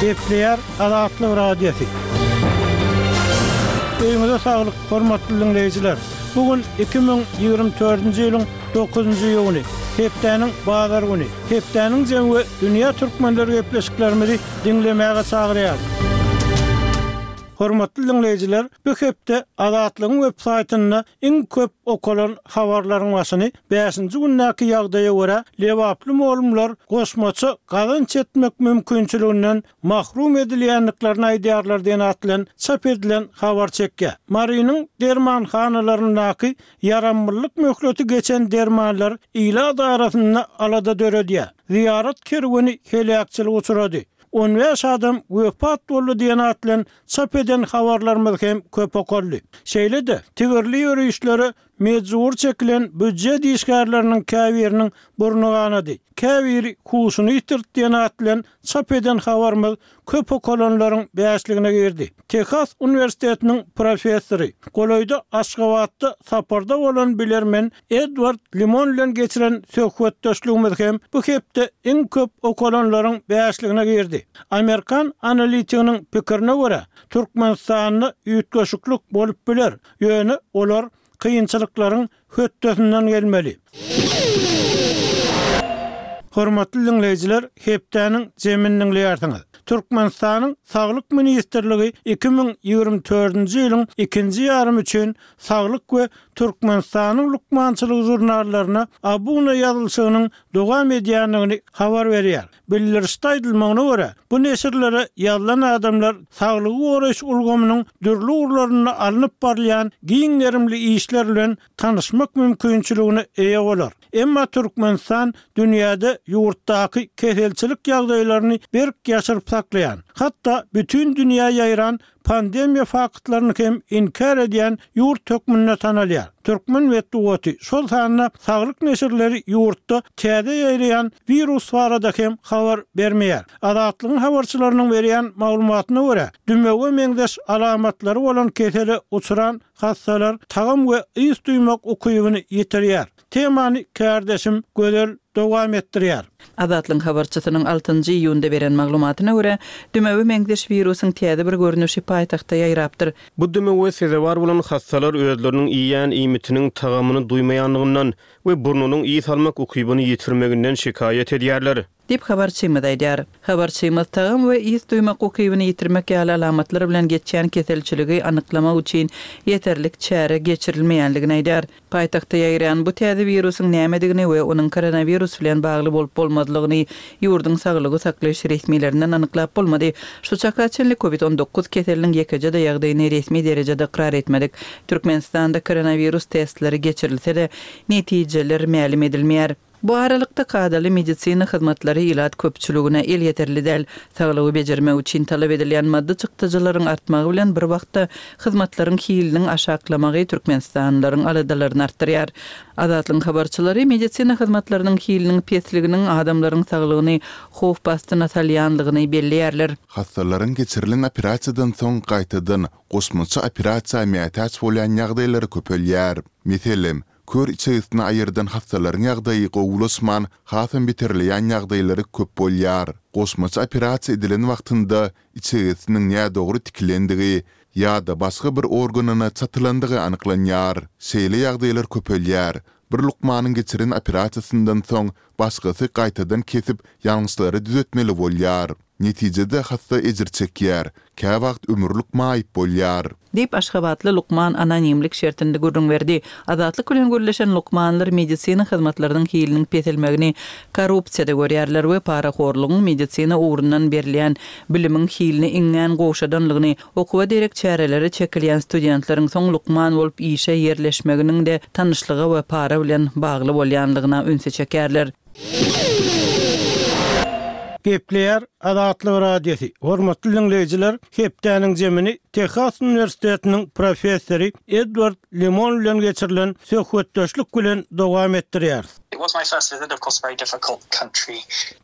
Gepleýär Azatlyk Radiosy. Öýüňize saglyk, hormatly diňleýjiler! Bu gün 2024-nji ýylyň dokuzynjy iýuny, hepdäniň bazar güni. Hepdäniň jemi we dünýä türkmenleri gepleşiklerimizi diňlemäge çagyrýarys. Hormatly diňleýjiler, bu hepde Azatlygyň web saýtynda iň köp okalan habarlaryň başyny bäşinji gündäki ýagdaýa görä lebaply mugallymlar goşmaça gazanç etmek mümkinçiliginden mahrum edilýändiklerini aýdýarlar diýen at bilen çap edilen habar çekýär. Marynyň dermanhanalaryndaky ýaramlylyk möhleti geçen dermanlar ilat arasynda alada döredýär. Zyýarat kerweni heläkçilige uçrady. 15 adam wepat boldy diýen at bilen çap eden habarlarymyz hem köp okaldy. Şeýle-de, tigirli ýörişlere mejbur çekilen býujet işgärleriniň käbiriniň burny ganady, käbiri huşuny ýitirdi diýen at bilen çap eden habarymyz köp okalanlaryň bäşligine girdi. Tehas uniwersitetiniň professory, golaýda Aşgabatda saparda bolan bilermen Edward Limon bilen geçiren söhbetdeşligimiz hem bu hepde iň köp okalanlaryň bäşligine girdi. Amerikan analitiginiň pikirine görä, Türkmenistanda üýtgeşiklik bolup biler, ýöne olar kynçylyklaryň hötdesinden gelmeli. Hormatly diňleýjiler, hepdäniň jemini diňleýärsiňiz. Türkmenistanyň Saglyk ministrligi 2024-nji ýylyň ikinji ýarymy üçin Saglyk we Türkmenistanyň lukmançylygy žurnallaryna abuna ýazylyşygynyň dowam edýändigini habar berýär. Bildirişde aýdylmagyna görä, bu neşirlere ýazylan adamlar saglygy goraýyş ulgamynyň dürli ugurlarynda alnyp barylýan giň gerimli işler bilen tanyşmak mümkinçiligine eýe bolar. Emma Türkmenistan dünýäde ýurtdaky keselçilik ýagdaýlaryny berk ýaşyryp saklaýan, hatda bütin dünýä ýaýran pandemiýa faktlaryny hem inkär edýän ýurt hökmünde tanalýar. Türkmen metbugaty, şol sanda saglyk neşirleri ýurtda täze ýaýraýan wirus barada hem habar bermeýär. Azatlygyň habarçylarynyň berýän maglumatyna görä, dümewe meňzeş alamatlary bolan kesele uçran hassalar tagam we ys duýmak ukybyny ýitirýär. Temany kärdeşim Gözel dowam etdirýär. Azatlygyň habarçysynyň altynjy iýunda beren maglumatyna görä, dümewe meňzeş wirusyň täze bir görnüşi paýtagtda ýaýrapdyr. Bu dümewe sezewar bolan hassalar özleriniň iýýän iýmitiniň tagamyny duýmaýandygyndan we burnunyň ys almak ukybyny ýitirmeginden şikaýat edýärler. Diýip, habarçymyz aýdýar. Habarçymyz tagam we ys duýmak ukybyny ýitirmek ýaly alamatlar bilen geçýän keselçiligi anyklamak üçin ýeterlik çäre geçirilmeýändigini aýdýar. Paýtagtda ýaýraýan bu täze wirusyň nämedigini we onuň koronawirus bilen bagly bolup-bolmazlygyny ýurduň saglygy saklaýyş resmilerinden anyklap bolmady. Şu çaka çenli Covid 19 keseliniň ýekeje-de ýagdaýyny resmi derejede ykrar etmedik. Türkmenistanda koronawirus testleri geçirilse-de, netijeler mälim edilmeýär. Bu aralykda, kadaly medisina hyzmatlary ilat köpçüligine elýeterli däl. Saglygy bejermek üçin talap edilýän maddy çykdajylaryň artmagy bilen bir wagtda hyzmatlaryň hiliniň aşaklamagy türkmenistanlylaryň aladalaryny artdyrýar. Azatlygyň habarçylary medisina hyzmatlarynyň hiliniň pesliginiň adamlaryň saglygyny howp astyna salýanlygyny belleýärler. Hassalaryň geçirilen operasiýadan soň gaýtadan goşmaça operasiýa mätäç bolýan ýagdaýlary köpelýär. Meselem, Kör içegesini aýyrdan hassalaryň ýagdaýy gowulaşman, hasam beterleýän ýagdaýlary köp bolýar. Goşmaça operasiýa edilen wagtynda içegesiniň nädogry tikilendigi ýa-da başga bir organyna çatylandygy anyklanýar. Şeýle ýagdaýlar köpelýär. Bir lukmanyň geçiren operasiýasyndan soň başgasy gaýtadan kesip, ýalňyşlary düzetmeli bolýar. Netijede hassa ejir çekýär, käwagt ömürlik maýyp bolýar. Diýip, aşgabatly lukman anonimlik şertinde gürrüň berdi. Azatlyk bilen gürleşen lukmanlar medisina hyzmatlarynyň hiliniň peselmegini korrupsiýada görýärler we parahorlugyň medisina ugrundan berilýän bilimiň hilini iňňän gowşadanlygyny, okuwa derek çärelere çekilýän studentleriň soň lukman bolup işe ýerleşmeginiň-de tanyşlyga we para bilen bagly bolýanlygyna ünsi çekýärler. Gepleýär Azatlyk Radiosy, Hormatly diňleýjiler, hepdäniň jemini Tehas uniwersitetiniň professory Edward Limon bilen geçirilen söhbetdeşlik bilen dowam etdirýäris.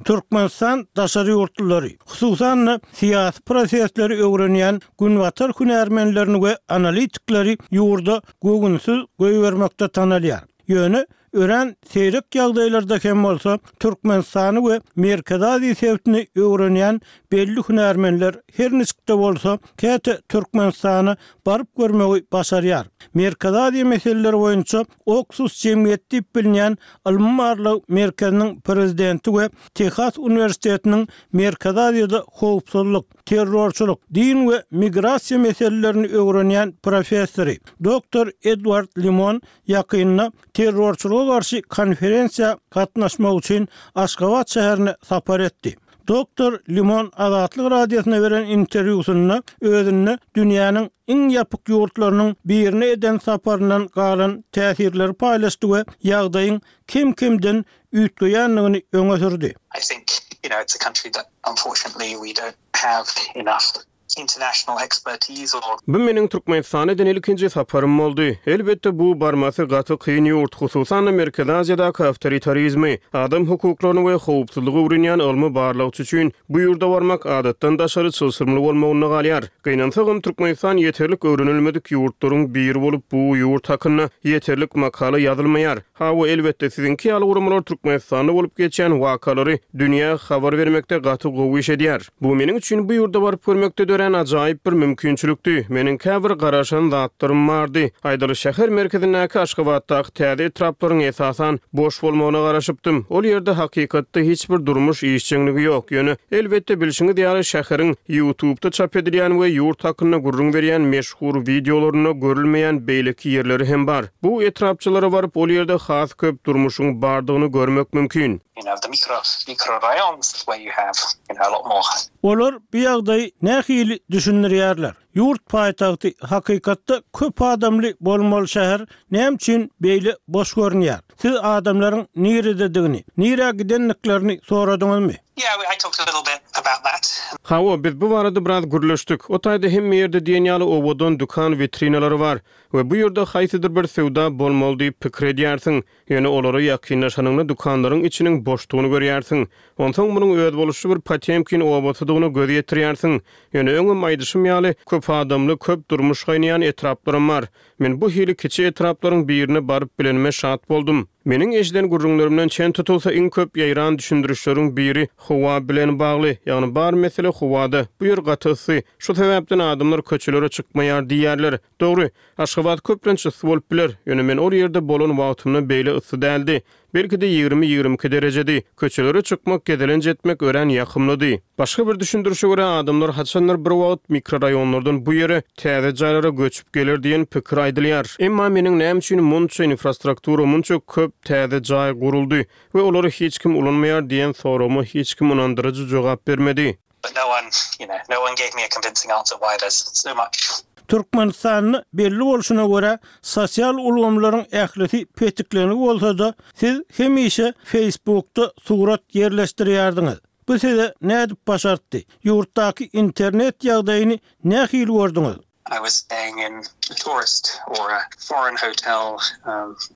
Türkmenistan daşary ýurtlulary, hususan-da, syýasy prosesleri öwrenýän günbatar hünärmenlerini we analitikleri ýurda göwünsiz goýbermekde tanalýar. Ýöne. Örän seýrek ýagdaýlarda hem bolsa, Türkmenistany we Merkezi Aziýa sebitini öwrenýän belli hünärmenler her niçik-de bolsa, käte Türkmenistana baryp görmegi başarýar. Merkezi Aziýa meseleleri boýunça Oksus jemgyýeti diýip bilinýän ylmy-barlag merkeziniň prezidenti we Tehas uniwersitetiniň Merkezi Aziýada howpsuzlyk, terrorçylyk, din we migrasiýa meselelerini öwrenýän professory, doktor Edward Limon ýakynda terrorçylyga garşy konferensiýa gatnaşmak üçin Aşgabat şäherine sapar etdi. Doktor Limon Azatlyk Radiosyna beren interwýusynda özünde dünýäniň iň ýapyk ýurtlarynyň birine eden saparyndan galan täsirleri paýlaşdy we ýagdaýyň kem-kemden üýtgeýändigini öňe sürdi. I think, you know, it's a country that unfortunately we don't have enough international expertise or. Bu meniň Türkmenistana eden ilkinji saparym boldy. Elbetde, bu barmasy gaty kyn ýurt, hususan-da Merkezi Aziýadaky awtoritarizmi, adam hukuklaryny we howpsuzlygy öwrenýän ylmy barlagçy üçin bu ýurda barmak adatdan daşary çylşyrymly bolmagynda galýar. Gynansagam, Türkmenistan ýeterlik öwrenilmedik ýurtlaryň biri bolup, bu ýurt hakynda ýeterlik makala ýazylmaýar. Hawa, elbetde, siziňki ýaly guramalar Türkmenistanda bolup geçýän wakalary dünýä habar bermekde gaty gowy iş edýär. Bu meniň üçin bu ýurda baryp görmekde dörän ajaýyp bir mümkinçilikdi. Meniň käbir garaşan zatlarym bardy. Aýdaly, şäher merkezindäki Aşgabatdaky täze etraplaryň esasan boş bolmagyna garaşypdym. Ol ýerde hakykatda hiç bir durmuş işjeňligi ýok. Ýöne, elbetde, bilşiňiz ýaly, şäheriň Ýutubda çap edilýän we ýurt hakynda gürrüň berýän meşhur wideolarynda görülmeýän beýleki ýerleri hem bar. Bu etrapçalara baryp, ol ýerde has köp durmuşyň bardygyny görmek mümkin. You know, the mikro, mikrorayons where you have, you know, a lot more. Olar bu ýagdaýy nähili düşündirýärler? Ýurt paýtagty, hakykatda köp adamly bolmaly şäher näme üçin beýle boş görünýär? Siz adamlaryň nirededigini, nirä gidendiklerini soradyňyzmy? Yeah, I talked a little bit about that. Hawa, biz bu barada biraz gürleşdik. O taýda hemme ýerde diýen ýaly owadan dükan witrinalary bar we bu ýerde haýsydyr bir söwda bolmaly diýip pikir edýärsiň. Ýöne olara ýakynlaşanyňda dükanlaryň içiniň boşdugyny görýärsiň. Onsoň munuň özboluşly bir Potemkin obasydygyna göz ýetirýärsiň. Ýöne öňem aýdyşym ýaly, köp adamly, köp durmuş gaýnaýan etraplaram bar. Men bu hili kiçi etraplaryň birine baryp bilenime şat boldum. Meniň eşiden gürrüňlerimden çen tutulsa, iň köp ýaýran düşündirişleriň biri howa bilen bagly. Ýagny bar mesele howada. Bu ýer gaty yssy. Şu sebäpden adamlar köçelere çykmaýar diýýärler. Dogry, Aşgabat köplenç yssy bolup biler, ýöne men ol ýerde bolan wagtymda beýle yssy däldi. Belki-de ýigrimi-ýigrimi iki derejedi. Köçelere çykmak, gezelenç etmek örän ýakymlydy. Başga bir düşündirişe görä, adamlar haçandyr bir wagt mikroraýonlardan bu ýere, täze jaýlara göçüp geler diýen pikir aýdylýar. Emma meniň näme üçin munça infrastruktura, munça köp täze jaý guruldy we olary hiç kim ulanmaýar diýen soragyma hiç kim ynandyryjy jogap bermedi. But no one, you know, no one gave me a convincing answer why there's so much. Türkmenistanda belli bolşuna görä, sosial ulgamlaryň ählisi petiklengi bolsa-da, siz hemişe Facebookda surat ýerleşdirýärdiňiz. Bu size nädip başartdy? Ýurtdaky internet ýagdaýyny nähili gördüňiz? I was staying in a tourist or a foreign hotel.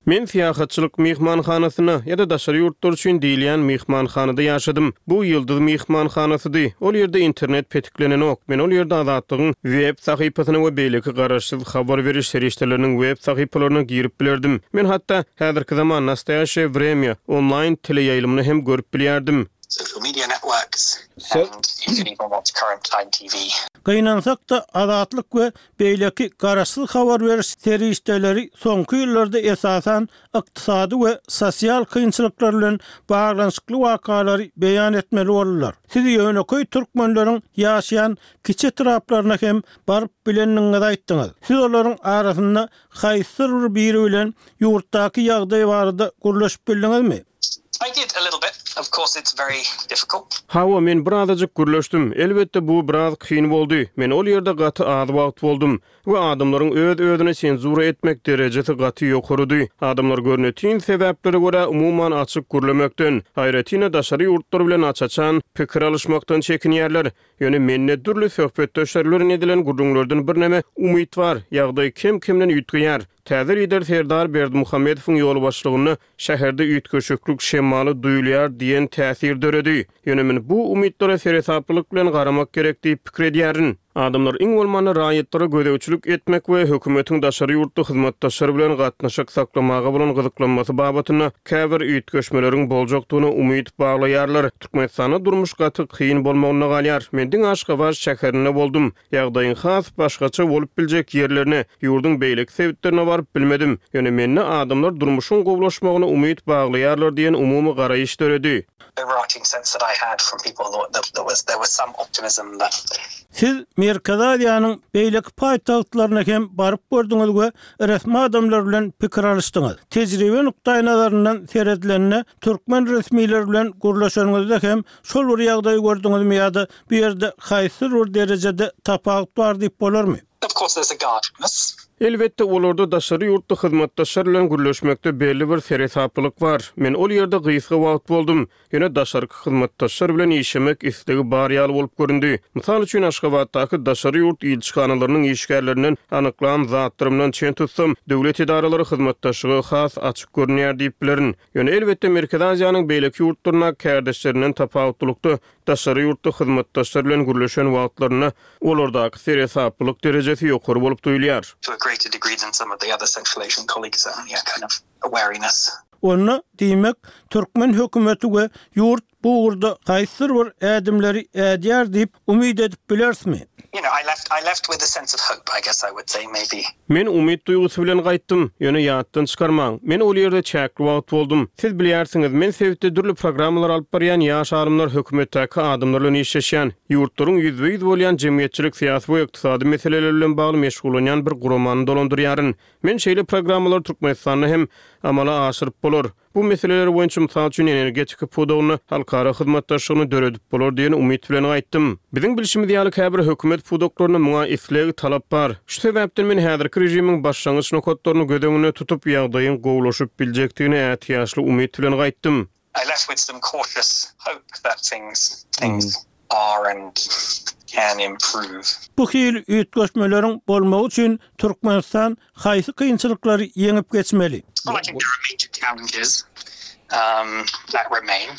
Men syýahatçylyk myhmanhanasynda ýa-da daşary ýurtlar üçin diýilýän myhmanhanada ýaşadym. Bu Ýyldyz myhmanhanasydy. Ol ýerde internet petiklenenok. Men ol ýerde Azatlygyň web sahypasyna we beýleki garaşsyz habar beriş serişdeleriniň web sahypalaryna girip bilerdim. Men hatda häzirki zaman, Nastoýaşeýe wremýa, onlaýn teleýaýlymyny hem görüp bilýärdim. Social media networks and you can even watch current time TV. Gynansak-da, Azatlyk we beýleki garaşsyz habar beriş serişdeleri soňky ýyllarda esasan ykdysady we sosial kynçylyklar bilen baglanyşykly wakalary beýan etmeli boldular. Siz ýönekeý türkmenleriň ýaşaýan kiçi etraplaryna hem baryp bilendigiňizi aýtdyňyz. Siz olaryň arasynda haýsydyr bir biri bilen ýurtdaky ýagdaý barada gürleşip bildiňizmi? I did a little bit. Of course it's very difficult. Hawa, men birazajyk gürleşdim. Elbetde, bu biraz kyn boldy. Men ol ýerde gaty az wagt boldum we adamlaryň öz-özüni senzura etmek derejesi gaty ýokarydy. Adamlar görnetin sebäplere görä umuman açyk gürlemekden, aýratyn-da daşary ýurtlar bilen aç-açan pikir alyşmakdan çekinýärler. Ýöne mende dürli söhbetdeşler bilen edilen gürrüňlerden birneme umyt bar. Ýagdaý kem-kemden üýtgeýär. Täze lider Serdar Berdimuhamedowyň ýolbaşçylygynda şäherde üýtgeşiklik şemaly duýulýar diýen täsir döredi. Ýöne men bu umytlara seresaplylyk bilen garamak gerek diýip pikir edýärin. Adamlar iň bolmanda raýatlara gözegçilik etmek we hökümetiň daşary ýurtly hyzmatdaşlar bilen gatnaşyk saklamaga bolan gyzyklanmasy babatynda käbir üýtgeşmeleriň boljakdygyna umyt baglaýarlar. Türkmenistanda durmuş gaty kyn bolmagynda galýar. Men diňe Aşgabat şäherinde boldum. Ýagdaýyň has başgaça bolup biljek ýerlerine, ýurduň beýleki sebitlerine baryp bilmedim. Ýöne mende adamlar durmuşyň gowulaşmagyna umyt baglaýarlar diýen umumy garaýyş döredi. Siz Merkezi Aziýanyň beýleki paýtagtlaryna hem baryp gördüňiz we resmi adamlar bilen pikir alyşdyňyz. Tejribe nukdaýnazaryndan seredilende, türkmen resmileri bilen gürleşeniňizde hem şol bir ýagdaýy gördüňizmi ýa-da bu ýerde haýsydyr bir derejede tapawut bar diýip bolarmy? Of course there's a guardedness. Elbetde, olarda daşary ýurtly hyzmatdaşlar bilen gürleşmekde belli bir seresaplylyk bar. Men ol ýerde gysga wagt boldum, ýöne daşarky hyzmatdaşlar bilen işlemek islegi bar ýaly bolup göründi. Mysal üçin, Aşgabatdaky daşary ýurt ilçihanalarynyň işgärlerinden anyklan zatlarymdan çen tutsam, döwlet edaralary hyzmatdaşlyga has açyk görünýär diýip bilerin. Ýöne, elbetde, Merkezi Aziýanyň beýleki ýurtlaryndaky kärdeşlerinden tapawutlylykda, daşary ýurtly hyzmatdaşlar bilen gürleşen wagtlarynda olardaky seresaplylyk derejesi ýokary bolup duýulýar. To a greater degree than some of the other Central Asian colleagues, certainly a kind of a wariness. Onda, diýmek, türkmen hökümeti we ýurt bu ugurda haýsydyr bir ädimleri ädýär diýip umyt edip bilerismi? You know, I left, I left with a sense of hope, I guess I would say, maybe. Men umyt duýgusy bilen gaýtdym. Ýöne ýatdan çykarmaň, men ol ýerde çäkli wagt boldum. Siz bilýärsiňiz, men sebitde dürli programmalar alyp barýan ýaş alymlar, hökümetdäki adamlar bilen işleşýän, ýurtlaryň ýüzbe-ýüz bolýan jemgyýetçilik-syýasy we ykdysady meseleleri bilen bagly meşgullanýan bir guramany dolandyrýaryn. Men şeýle programmalary Türkmenistanda hem amala aşyryp bolar. Bu meseleler boýunça, mysal üçin, energetika pudagynda halkara hyzmatdaşlygyny döredip bolar diýen umyt bilen gaýtdym. Biziň bilşimiz ýaly, käbir hökümet pudaklarynda muňa isleg, talap bar. Şu sebäpden men häzirki režimiň başlangyç nokatlaryny göz öňünde tutup, ýagdaýyň gowulaşyp biljekdigine ätiýaçly umyt bilen gaýtdym. I left with some cautious hope that things things are and can improve. Bu hili üýtgeşmeleriň bolmagy üçin Türkmenistan haýsy kynçylyklary ýeňip geçmeli? Well, I think there are major challenges that remain.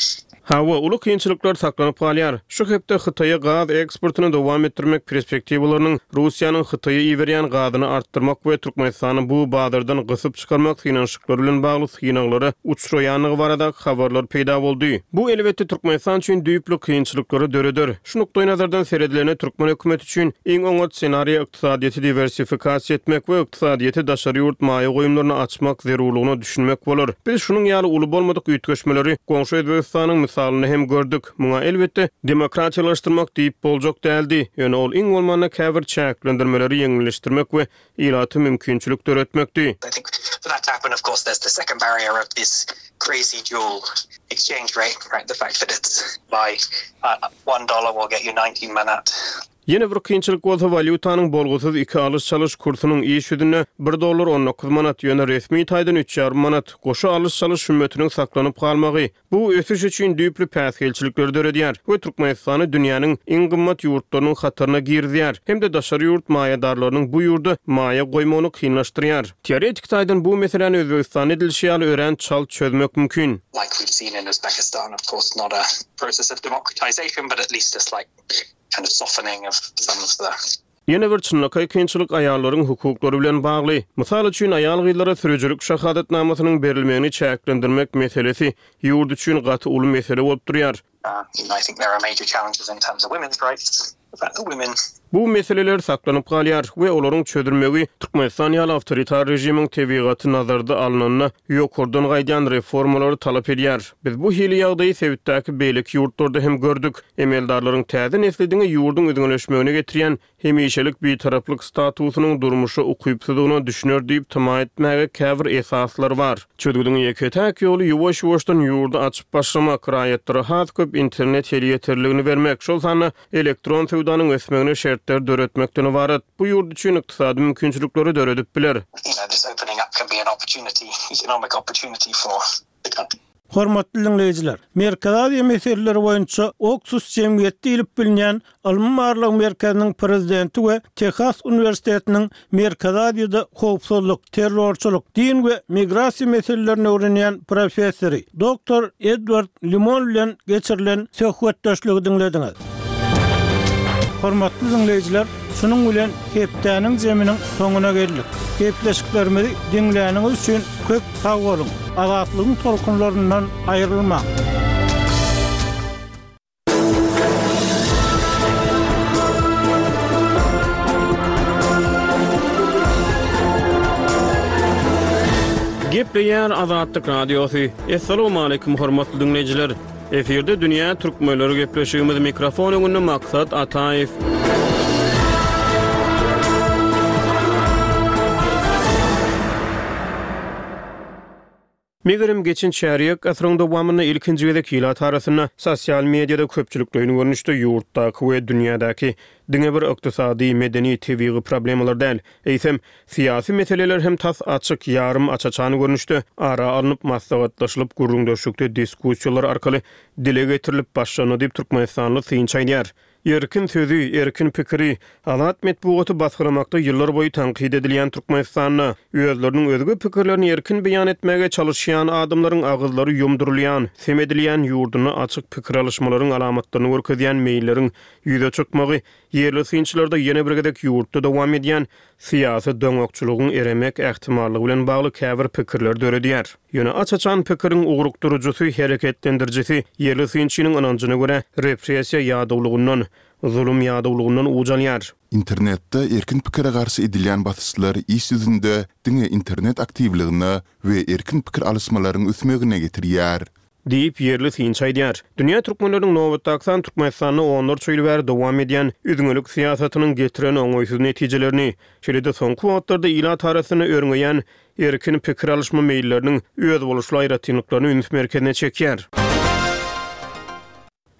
Hawa, uly kynçylyklar saklanyp galýar. Şu hepde Hytaýa gaz eksportyny dowam etdirmek perspektiwalarynyň Russiýanyň Hytaýa iberýän gazyny artdyrmak we Türkmenistany bu bazardan gysyp çykarmak synanyşyklary bilen bagly synaglara uçraýandygy baradaky habarlar peýda boldy. Bu, elbetde, Türkmenistan üçin düýpli kynçylyklary döreder. Şu nukdaýnazardan seredilende, türkmen hökümeti üçin iň oňat ssenariý ykdysadyýeti diwersifikasiýa etmek we ykdysadyýeti daşary ýurt maýa goýumlaryna açmak zerurlygyna düşünmek bolar. Biz şunuň ýaly uly bolmadyk üýtgeşmeleri goňşy Özbegistanyň mysalynda hem gördük. Muňa, elbetde, demokratiýalaşdyrmak diýip boljak däldi, ýöne ol iň bolmanda käbir çäklendirmeleri ýeňilleşdirmek we ilata mümkinçilik döretmekdi. Ýene bir kynçylyk bolsa walýutanyň bolgusyz iki alyş-çalyş kursunyň iş ýüzünde bir dollar on dokuz manat, ýöne resmi taýdan üç ýarym manat, goşa alyş-çalyş hümmetiniň saklanyp galmagy, Bu ösüş üçin düýpli päsgelçilikleri döredýär we Türkmenistany dünýäniň iň gymmat ýurtlarynyň hataryna girizýär hem-de daşary ýurt maýadarlarynyň bu ýurda maýa goýmagyny kynlaşdyrýar. Teoretik taýdan bu meseläni Özbegistanda edilişi ýaly örän çalt çözmek mümkin. Ýene bir çynlakaý kynçylyk aýallaryň hukuklary bilen bagly. Mysal üçin, aýal-gyzlara sürüjilik şahadatnamasynyň berilmegini çäklendirmek meselesi ýurt üçin gaty uly mesele bolup durýar. Bu meseleler saklanyp galýar we olaryň çözülmegi Türkmenistan ýaly awtoritar režimiň tebigaty nazarda alnanda ýokardan gaýdýan reformalary talap edýär. Biz bu hili ýagdaýy sebitdäki beýleki ýurtlarda hem gördük. Emeldarlaryň täze nesli diňe ýurduň üzňeleşmegine getirýän hemişelik bitaraplyk statusynyň durmuşa ukypsyzdygyna düşüner diýip tama etmäge käbir esaslar bar. Çözgüdiň ýeke-täk ýoly ýuwaş-ýuwaşdan ýurdy açyp başlamak, raýatlara has köp internet elýeterligini bermek, şol sanda elektron söwdanyň ösmegine şertler döretmekden ybarat. Bu ýurt üçin ykdysady mümkinçilikleri döredip biler. Hormatly diňleýjiler! Merkezi Aziýa meseleleri boýunça Oksus jemgyýeti diýlip bilinýän ylmy-barlag merkeziniň prezidenti we Tehas uniwersitetiniň Merkezi Aziýada howpsuzlyk, terrorçylyk, din we migrasiýa meselelerini öwrenýän professory, doktor Edward Limon bilen geçirilen söhbetdeşligi diňlediňiz. Hormatly diňleýjiler! Şunuň bilen hepdäniň jeminiň soňuna geldik. Gepleşiklerimizi diňläniňiz üçin köp sag boluň! Azatlygyň tolkunlaryndan aýrylmaň! Gepleýär Azatlyk Radiosy. Assalamualaikum hormatly diňleýjiler. Efirde dünýä türkmenleri gepleşigimiz mikrofon öňünde Maksat Ataýew. Megerem, geçen çärýek asyryň dowamynda ilkinji gezek ilat arasynda sosial mediada köpçülikleýin görnüşde ýurtdaky we dünýädäki diňe bir ykdysady, medeni, tebigy problemalar däl, eýsem, syýasy meseleler hem tas açyk, ýarym aç-açan görnüşde ara alnyp maslahatlaşylyp, gürrüňdeşlikde diskussiýalar arkaly dile getirilip başlandy diýip, türkmenistanly synçy aýdýar. Erkin sözi, erkin pikiri, azat metbugaty basgylamakda ýyllarboýy tankyt edilýän Türkmenistanda, özleriniň özge pikirlerini erkin beýan etmäge çalyşýan adamlaryň agyzlary ýumdurylýan, sem edilýän ýurdunda açyk pikir alyşmalaryň alamatlaryny görkezýän meýilleriň ýüze çykmagy ýerli synçylarda ýene bir gezek ýurtda dowam edýän syýasy doňakçylygyň eremek ähtimallygy bilen bagly käbir pikirleri döredýär. Ýöne aç-açan pikiriň ugrukdyryjysy, hereketlendirijisi ýerli synçynyň ynanjyna görä, repressiýa ýadawlygyndan, zulum ýadawlygyndan uç alýar. Internetde erkin pikire garşy edilýän basyşlar iş ýüzünde diňe internet aktiwligine we erkin pikir alyşmalaryň ösmegine getirýär. Diýip, ýerli synçy aýdýar. Dünýä türkmenleriniň nobatdaky sany Türkmenistanda onlarça ýyl bäri dowam edýän üzňelik syýasatynyň getiren oňaýsyz netijelerini, şeýle-de soňky wagtlarda ilat arasynda örňeýän erkin pikir alyşma meýilleriniň özboluşly aýratynlyklaryny üns merkezine çekýär.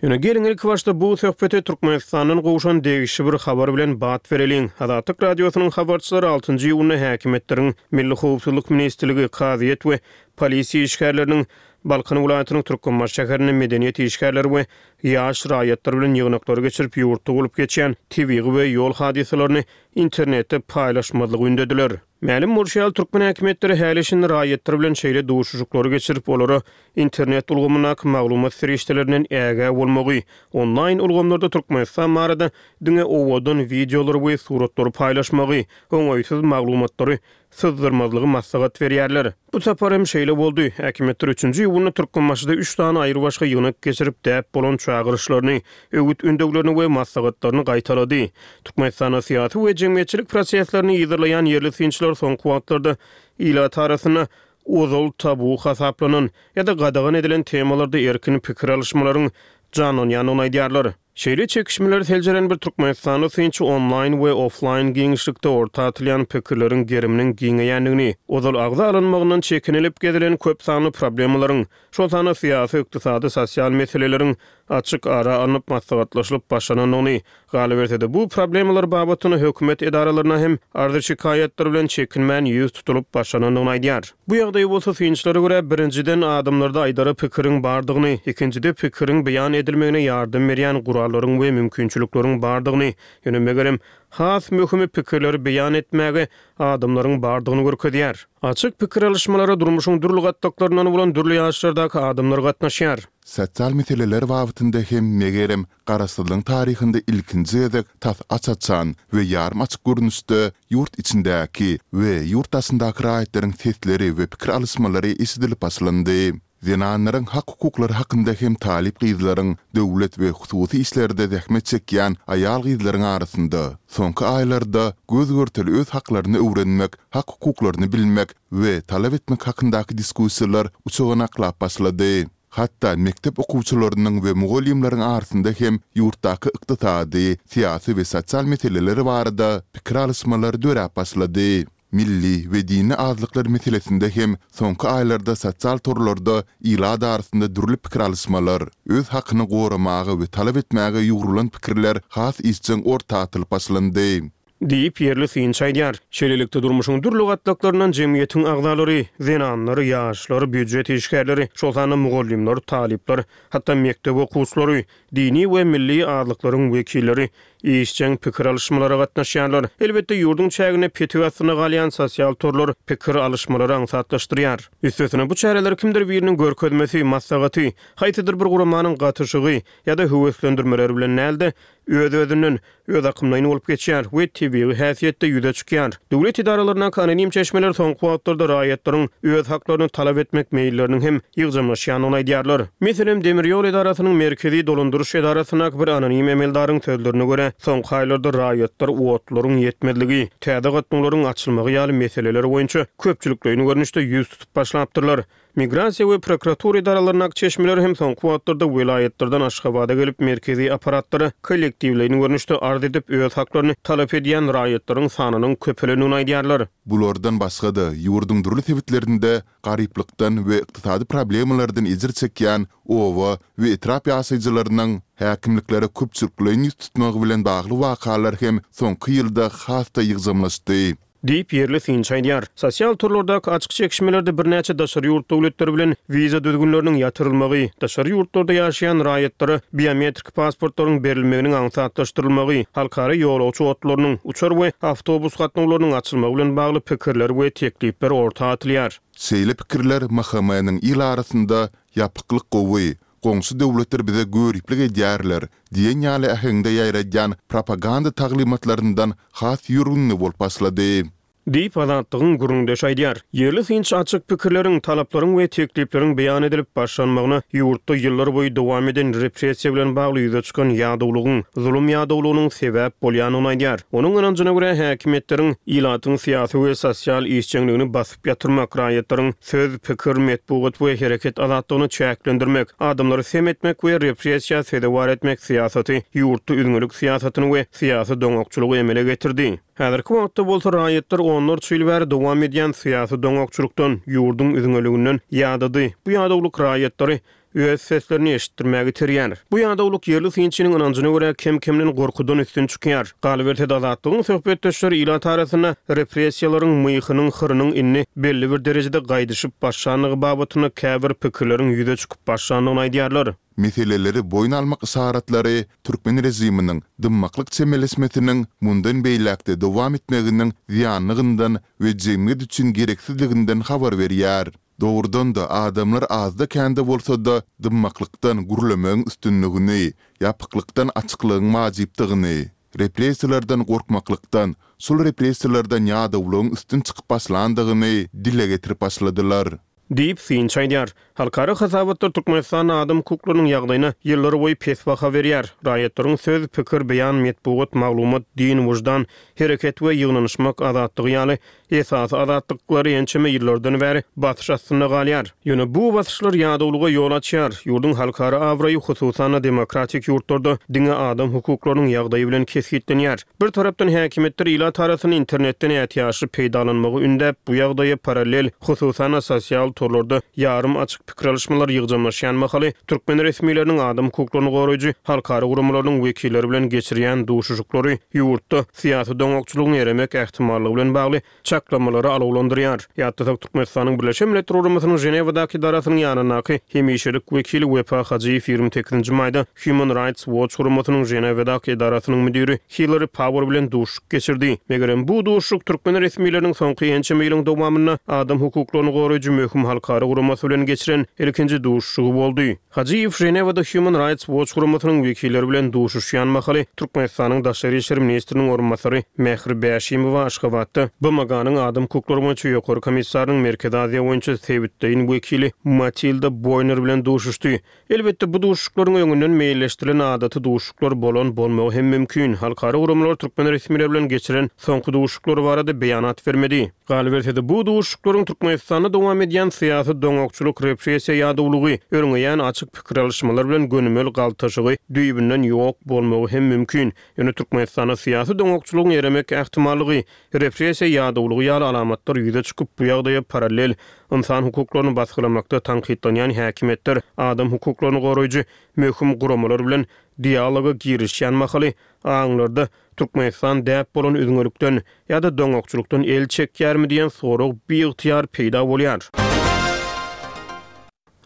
Ýöne geliň ilkibaşda bu söhbete Türkmenistandan gowşan degişli bir habar bilen bat bereliň. Azatlyk Radiosynyň habarçylary altynjy iýunda häkimiýetleriň Milli howpsuzlyk ministrligi, kazyýet we polisiýa işgärleriniň Balkan welaýatynyň Türkmenbaşy şäherinde medeniýet işgärleri we ýaş raýatlar bilen ýygnaklary geçirip, ýurtda bolup geçýän tebigy we ýol hadysalaryny internetde paýlaşmazlygy ündediler. Mälim bolşy ýaly, türkmen häkimiýetleri häli-şindi raýatlar bilen şeýle duşuşyklary geçirip, olara internet ulgamyndaky maglumat serişdelerinden ägä bolmagy, onlaýn ulgamlarda Türkmenistan barada diňe owadan wideolary we suratlary paýlaşmagy, oňaýsyz maglumatlary syzdyrmazlygy maslahat berýärler. Bu sapar hem şeýle boldy. Häkimiýetler üçünji iýunda Türkmenbaşyda üç sany aýrybaşga ýygnak geçirip, däp bolan çagyryşlaryny, öwüt-ündewlerini we maslahatlaryny gaýtalady. Türkmenistanda syýasy we jemgyýetçilik proseslerini yzarlaýan ýerli synçylar soňky wagtlarda ilat arasynda ozal tabu hasaplanan ýa-da gadagan edilen temalarda erkin pikir alyşmalaryň janlanýandygyny aýdýarlar. Şeýle çekişmeleri seljeren bir türkmenistanly synçy onlaýn we oflaýn giňişlikde orta atylýan pikirleriň geriminiň giňeýändigini, ozal agza alynmagyndan çekinilip gezilen köp sanly problemalaryň, şol sanda syýasy, ykdysady, sosial meseleleriň açyk ara alnyp maslahatlaşylyp başlanandygyny, galyberse-de, bu problemalar babatynda hökümet edaralaryna hem arzy-şikaýatlar bilen çekinmän ýüz tutulyp başlanandygyny aýdýar. Bu ýagdaý bolsa synçylara görä, birinjiden, adamlarda aýdara pikiriň bardygyny, ikinjide, pikiriň beýan edilmegine ýardam berýän gurallaryň we mümkinçilikleriň bardygyny, ýöne megerem, has möhümi pikirleri beýan etmäge adamlaryň bardygyny görkezýär. Açyk pikir alyşmalara durmuşyň dürli gatlaklaryndan bolan dürli ýaşlardaky adamlar gatnaşýar. Sosial meseleler babatynda hem, megerem, Garaşsyzlygyň taryhynda ilkinji gezek tas aç-açan we ýarym açyk görnüşde ýurt içindäki we ýurt daşyndaky raýatlaryň sesleri we pikir alyşmalary eşidilip başlandy. Zenanlaryň hak-hukuklary hakynda hem talyp gyzlaryň, döwlet we hususy işlerde zähmet çekýän aýal-gyzlaryň arasynda soňky aýlarda göz-görtele öz haklaryny öwrenmek, hak-hukuklaryny bilmek we talap etmek hakyndaky diskussiýalar uçganaklap başlady. Hatda mekdep okuwçylarynyň we mugallymlaryň arasynda hem ýurtdaky ykdysady, syýasy we sosial meseleler barada pikir alyşmalar döräp başlady. Milli we dini azlyklar meselesinde hem soňky aýlarda sosial torlarda ilat arasynda dürli pikir alyşmalar, öz hakyny goramaga we talap etmäge ýugrulan pikirler has işjeň orta atylyp başlandy. Diýip, ýerli synçy aýdýar. Şeýlelikde, durmuşyň dürli gatlaklaryndan jemgyýetiň agzalary, zenanlar, ýaşlar, býujet işgärleri, şol sanda mugallymlar, talyplar, hatda mekdep okuwçylary, dini we milli azlyklaryň wekilleri işjeň pikir alyşmalara gatnaşýarlar. Elbetde, ýurduň çäginde petik astynda galýan sosial torlar pikir alyşmalary aňsatlaşdyrýar. Üstesine, bu çäreler kimdir biriniň görkezmesi, maslahaty, haýsydyr bir guramanyň gatyşygy ýa-da höweslendirmeleri bilen däl-de, öz-özünden, özakymlaýyn bolup geçýär we tebigy häsiýetde ýüze çykýar. Döwlet edaralaryndaky anonim çeşmeler soňky wagtlarda raýatlaryň öz haklaryny talap etmek meýilleriniň hem ýygjamlaşýandygyny aýdýarlar. Meselem, demir ýol edarasynyň merkezi dolandyryş edarasyndaky bir anonim emeldaryň sözlerine görä, soňky aýlarda raýatlar otlaryň ýetmezligi, täze gatnawlaryň açylmagy ýaly meseleler boýunça köpçülikleýin görnüşde ýüz tutup başlapdyrlar. Migrasiýa we prokuratura edaralaryndaky çeşmeler hem soňky wagtlarda welaýatlardan Aşgabada gelip, merkezi apparatlara kollektiwleýin görnüşde arz edip, öz haklaryny talap edýän raýatlaryň sanynyň köpelendigini aýdýarlar. Bulardan başga-da, ýurduň dürli sebitlerinde garyplykdan we ykdysady problemalardan ejir çekýän oba we etrap ýaşaýjylarynyň häkimliklere köpçülikleýin ýüz tutmagy bilen bagly wakalar hem soňky ýylda has-da ýygjamlaşdy. Diýip, ýerli synçy aýdýar. Sosial torlardaky açyk çekişmelerde birnäçe daşary ýurt döwletleri bilen wiza düzgünleriniň ýatyrylmagy, daşary ýurtlarda ýaşaýan raýatlara biometrik pasportlaryň berilmeginiň aňsatlaşdyrylmagy, halkara ýolagçy otlarynyň, uçar we awtobus gatnawlarynyň açylmagy bilen bagly pikirler we teklipler orta atylýar. Şeýle pikirler MHM-niň il arasynda Ýapyklyk gowy, Goňşy döwletler bize göriplik edýärler diýen ýaly äheňde ýaýradýan propaganda taglymatlaryndan has ýörgünli bolup başlady. Diýip, Azatlygyň gürrüňdeşi aýdýar. Ýerli synçy açyk pikirleriň, talaplaryň we teklipleriň beýan edilip başlanmagyna ýurtda ýyllar boýy dowam eden repressiýa bilen bagly ýüze çykan ýadawlygyň, zulum ýadawlygynyň sebäp bolýandygyny aýdýar. Onuň ynanjyna görä, häkimiýetleriň ilatyň syýasy we sosial işjeňligini basyp ýatyrmak, raýatlaryň söz, pikir, metbugat we hereket azatlygyny çäklendirmek, adamlary sem etmek we repressiýa sezewar etmek syýasaty ýurtda üzňelik syýasatyny we syýasy doňakçylygy emele getirdi. Häzirki wagtda bolsa raýatlar onlarça ýyl bäri dowam edýän syýasy doňakçylykdan, ýurduň üzňeliginden ýadady. Bu ýadawlyk raýatlary öz seslerini eşitdirmäge iterýär. Bu ýadawlyk ýerli synçynyň ynanjyna görä kem-kemden gorkudan üstün çykýar. Galyberse-de Azatlygyň söhbetdeşleri ilat arasynda repressiýalaryň myhynyň, hyrynyň indi belli bir derejede gaýdyşyp başlandygy babatynda käbir pikirleriň ýüze çykyp başlandygyny aýdýarlar. Meseleleri boýun almak yşaratlary türkmen režiminiň dymmaklyk çemeleşmesiniň mundan beýläk-de dowam etmeginiň zyýanlygyndan we jemgyýet üçin gereksizliginden habar berýär. Dogrudan-da, adamlar azda-kände bolsa-da dymmaklykdan gürlemegiň üstünligini, ýapyklykdan açyklygyň wajypdygyny, repressiýalardan gorkmaklykdan, şol repressiýalardan ýadawlygyň üstün çykyp başlandygyny dile getirip başladylar. Diýip, synçy aýdýar. Halkara hasabatlar Türkmenistanda adam hukuklarynyň ýagdaýyna ýyllarboýy pes baha berýär. Raýatlaryň söz, pikir, beýan, metbugat, maglumat, din, wyždan, hereket we ýygnanyşmak azatlygy ýaly Esasy azatlyklary ençeme ýyllardan bäri basyş astynda galýar. Ýöne bu basyşlar ýadawlyga ýol açýar. Ýurduň halkara abraýy, hususan-da, demokratik ýurtlarda diňe adam hukuklarynyň ýagdaýy bilen kesgitlenýär. Bir tarapdan häkimiýetler ilat arasynda internetden ätiýaçly peýdalanmagy ündäp, bu ýagdaýa parallel, hususan-da, sosial torlarda ýarym açyk pikir alyşmalar ýygjamlaşýan mahaly, türkmen resmileriniň adam hukuklaryny goraýjy halkara guramalarynyň wekilleri bilen geçirýän duşuşyklary ýurtda syýasy doňakçylygyň eremek ähtimallygy bilen bagly çaklamalary alawlandyrýar. Ýatlasak, Türkmenistanyň Birleşen Milletler Guramasynyň Ženewadaky edarasynyň ýanyndaky hemişelik wekili Wepa Hajyýew 28 nji maýda Human Rights Watch guramasynyň Ženewadaky edarasynyň müdiri Hillari Power bilen duşuşyk geçirdi. Megerem, bu duşuşyk türkmen resmileriniň soňky ençeme ýylyň dowamynda adam hukuklaryny goraýjy möhüm halkara guramasy bilen geçiren ilkinji duşuşygy boldy. Hajyýew Ženewada Human Rights Watch guramasynyň wekilleri bilen duşuşýan mahaly Türkmenistanyň daşary işler ministriniň orunbasary Mähri Bäşimowa Aşgabatda BMG-niň adam hukuklary boýunça ýokary komissarynyň Merkezi Aziýa boýunça sebitleýin wekili Matilda Boýner bilen duşuşdy. Elbetde, bu duşuşyklaryň öňünden meýilleşdirilen adaty duşuşyklar bolan bolmagy hem mümkin. Halkara guramalar türkmen resmileri bilen geçiren soňky duşuşyklary barada beýanat bermedi. Galyberse-de, bu duşuşyklaryň Türkmenistanda dowam edýän syýasy doňakçylyk, repressiýa ýadawlygy, örňeýän açyk pikir alyşmalar bilen gönümel galtaşygy düýbünden ýok bolmagy hem mümkin. Ýöne Türkmenistanda syýasy doňakçylygyň eremek ähtimallygy, repressiýa ýadawlygy ýaly alamatlar ýüze çykyp, bu ýagdaýa parallel ynsan hukuklaryny basgylamakda tankytlanýan häkimiýetler adam hukuklaryny goraýjy möhüm guramalar bilen dialoga girişýän mahaly aňlarda Türkmenistan däp bolan üzňelikden ýa-da doňakçylykdan el çekýärmi diýen sorag biygtyýar peýda bolýar.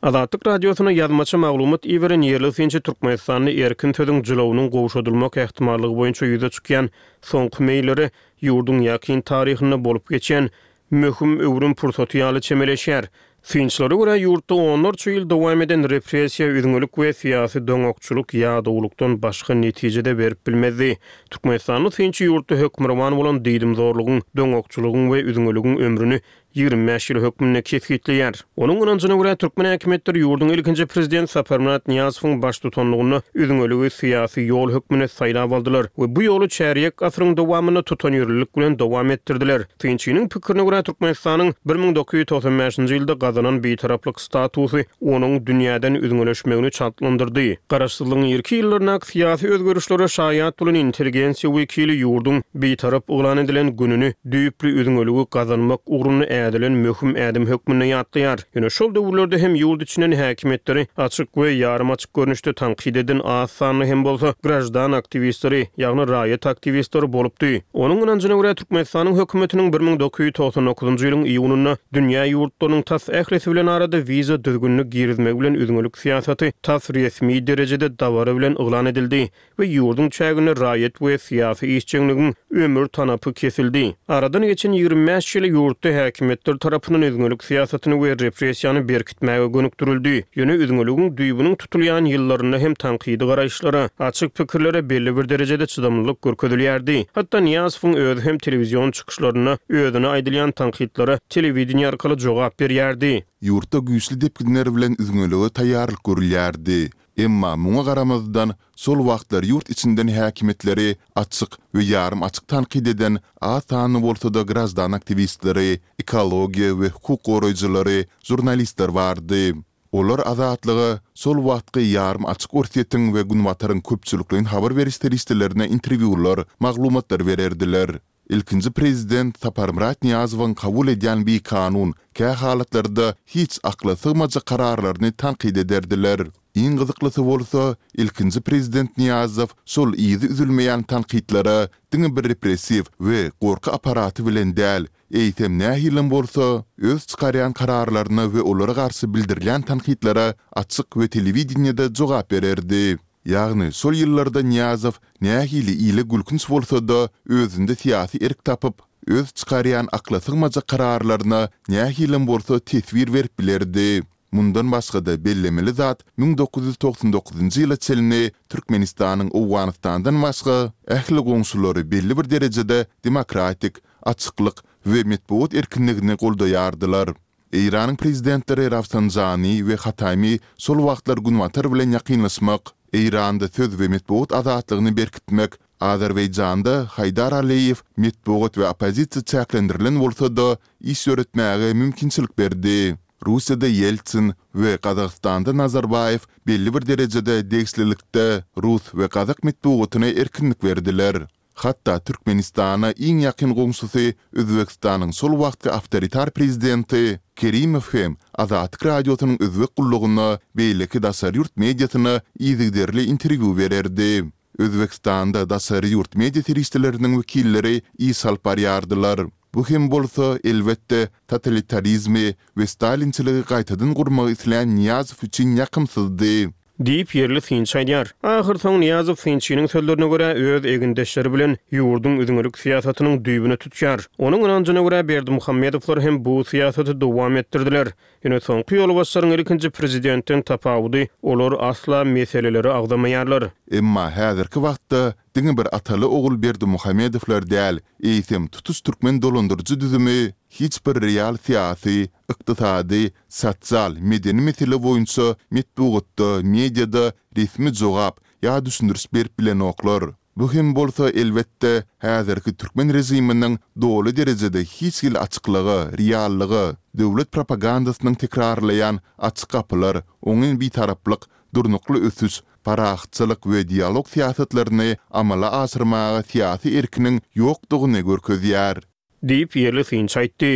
Azatlyk Radiosyna ýazmaça maglumat iberen ýerli synçy Türkmenistanda erkin sözüň jylawynyň gowşadylmak ähtimallygy boýunça ýüze çykýan soňky meýillere ýurduň ýakyn taryhynda bolup geçen möhüm öwrüm pursaty ýaly çemeleşýär. Synçylara görä, ýurtda onlarça ýyl dowam eden repressiýa, üzňelik we syýasy doňakçylyk ýadawlykdan başga netije-de berip bilmezdi. Türkmenistanly synçy ýurtda hökmürowan bolan diýdimzorlugyň, doňakçylygyň we üzňeligiň ömrüni 25 ýyl hökmünde kesgitleýär. Onuň ynanjyna görä, türkmen häkimiýetleri ýurduň ilkinji prezidenti Saparmyrat Nyýazowyň baştutanlygynda üzňeligi syýasy ýol hökmünde saýlap aldylar we bu ýoly çärýek asyryň dowamynda tutanýerlilik bilen dowam etdirdiler. Synçynyň pikirine görä, Türkmenistanyň 1995-nji ýylda gazanan bitaraplyk statusy onuň dünýäden üzňeleşmegini çaltlandyrdy. Garaşsyzlygyň irki ýyllaryndaky syýasy özgerişlere şaýat bolan intelligensiýa wekili ýurduň bitarap yglan edilen gününi düýpli üzňeligi gazanmak ugrunda ädilen möhüm ädim hökmünde ýatlaýar. Ýöne şol döwürlerde hem ýurt içinden häkimiýetleri açyk we ýarym açyk görnüşde tankyt eden az sanly hem bolsa graždan aktiwistleri, ýagny raýat aktiwistleri bolupdy. Onuň ynanjyna görä, Türkmenistanyň hökümetiniň 1999-njy ýylyň iýunynda dünýä ýurtlarynyň tas ählisi bilen arada wiza düzgünini girizmegi bilen üzňelik syýasaty tas resmi derejede dabara bilen yglan edildi we ýurduň çäginde raýat we syýasy işjeňligiň ömür tanapy kesildi. Aradan geçen 25 ýyl ýurtda häkimiýetler tarapyndan üzňelik syýasatyny we repressiýany berkitmäge gönükdirildi. Ýöne üzňeligiň düýbüniň tutulýan ýyllarynda hem tankydy garaýyşlara, açyk pikirlere belli bir derejede çydamlylyk görkezilýärdi. Hatda Nyýazowyň özi hem telewizion çykyşlarynda özüne aýdylýan tankytlara telewideniýe arkaly jogap berýärdi. Ýurtda güýçli depginler bilen üzňelige taýýarlyk görülýärdi. Emma muňa garamazdan, şol wagtlar ýurt içinden häkimiýetleri açyk we ýarym açyk tankyt eden az sanly bolsa-da graždan aktiwistleri, ekologiýa we hukuk goraýjylary, žurnalistler bardy. Olar Azatlyga şol wagtky ýarym açyk Orsýetiň we Günbataryň köpçülikleýin habar beriş serişdelerine interwýular, maglumatlar bererdiler. Ilkinji prezident Saparmyrat Nyýazowyň kabul edýän bikanun, kä halatlarda hiç akla sygmajak kararlaryny tankyt ederdiler. Iň gyzyklysy bolsa, ilkinji prezident Nyýazow şol yzy üzülmeýän tankytlara diňe bir repressiw we gorky apparaty bilen däl, eýsem nähilem bolsa, öz çykarýan kararlaryna we olara garşy bildirilýän tankytlara açyk we telewideniýede jogap bererdi. Ýagny şol ýyllarda Nyýazow nähili ile gülkünç bolsa-da, özünde syýasy erk tapyp, öz çykarýan akla sygmajak kararlaryna nähilem bolsa teswir berip bilerdi. Mundan başga-da bellemeli zat, 1999-njy ýyla çenli Türkmenistanyň Owganystandan başga ähli goňşulary belli bir derejede demokratik, açyklyk we metbugat erkinligini goldaýardylar. Eýranyň prezidentleri Rafsanjani we Hatami şol wagtlar Günbatar bilen ýakynlaşmak, Eýranda söz we metbugat azatlygyny berkitmek, Azerbaýjanda Haýdar Aliýew metbugat we oppozisiýa çäklendirilen bolsa-da, iş ýöretmäge mümkinçilik berdi. Russiýada Ýeltsin we Gazagystanda Nazarbaýew belli bir derejede degişlilikde rus we gazak metbugatyna erkinlik berdiler. Hatda Türkmenistana iň ýakyn goňşusy Özbegistanyň şol wagtky awtoritar prezidenti Kerimow hem Azatlyk Radiosynyň özbek gullugyna, beýleki daşary ýurt mediasyna yzygiderli interwýu bererdi. Özbegistanda daşary ýurt media serişdeleriniň wekilleri iş alyp barýardylar. Bu hem bolsa, elbetde, totalitarizmi we stalinçiligi gaýtadan gurmagy islän Nyýazow üçin ýakymsyzdy. Diýip, ýerli synçy aýdýar. Ahyrsoňy Nyýazow synçynyň sözlerine görä, öz egindeşleri bilen ýurduň üzňelik syýasatynyň düýbüni tutýar. Onuň ynanjyna görä, Berdimuhamedowlar hem bu syýasaty dowam etdirdiler. Ýöne soňky ýolbaşçylaryň ilkinji prezidentden tapawudy, olar asla meseleleri agzamaýarlar. Emma häzirki wagtda diňe bir ataly-ogul Berdimuhamedowlar däl, eýsem tutuş türkmen dolandyryjy düzümi hiç bir real syýasy, ykdysady, sosial, medeni mesele boýunça metbugatda, mediada resmi jogap ýa düşündiriş berip bilenoklar. Bu hem bolsa, elbetde, häzirki türkmen režiminiň doly derejede hiç hili açyklyga, reallyga, döwlet propagandasynyň tekrarlaýan açyk gapylar, oňyn bitaraplyk, durnukly ösüş, parahatçylyk we dialog syýasatlaryny amala aşyrmaga syýasy erkiniň ýokdugyny görkezýär. Diýip, ýerli synçy aýtdy.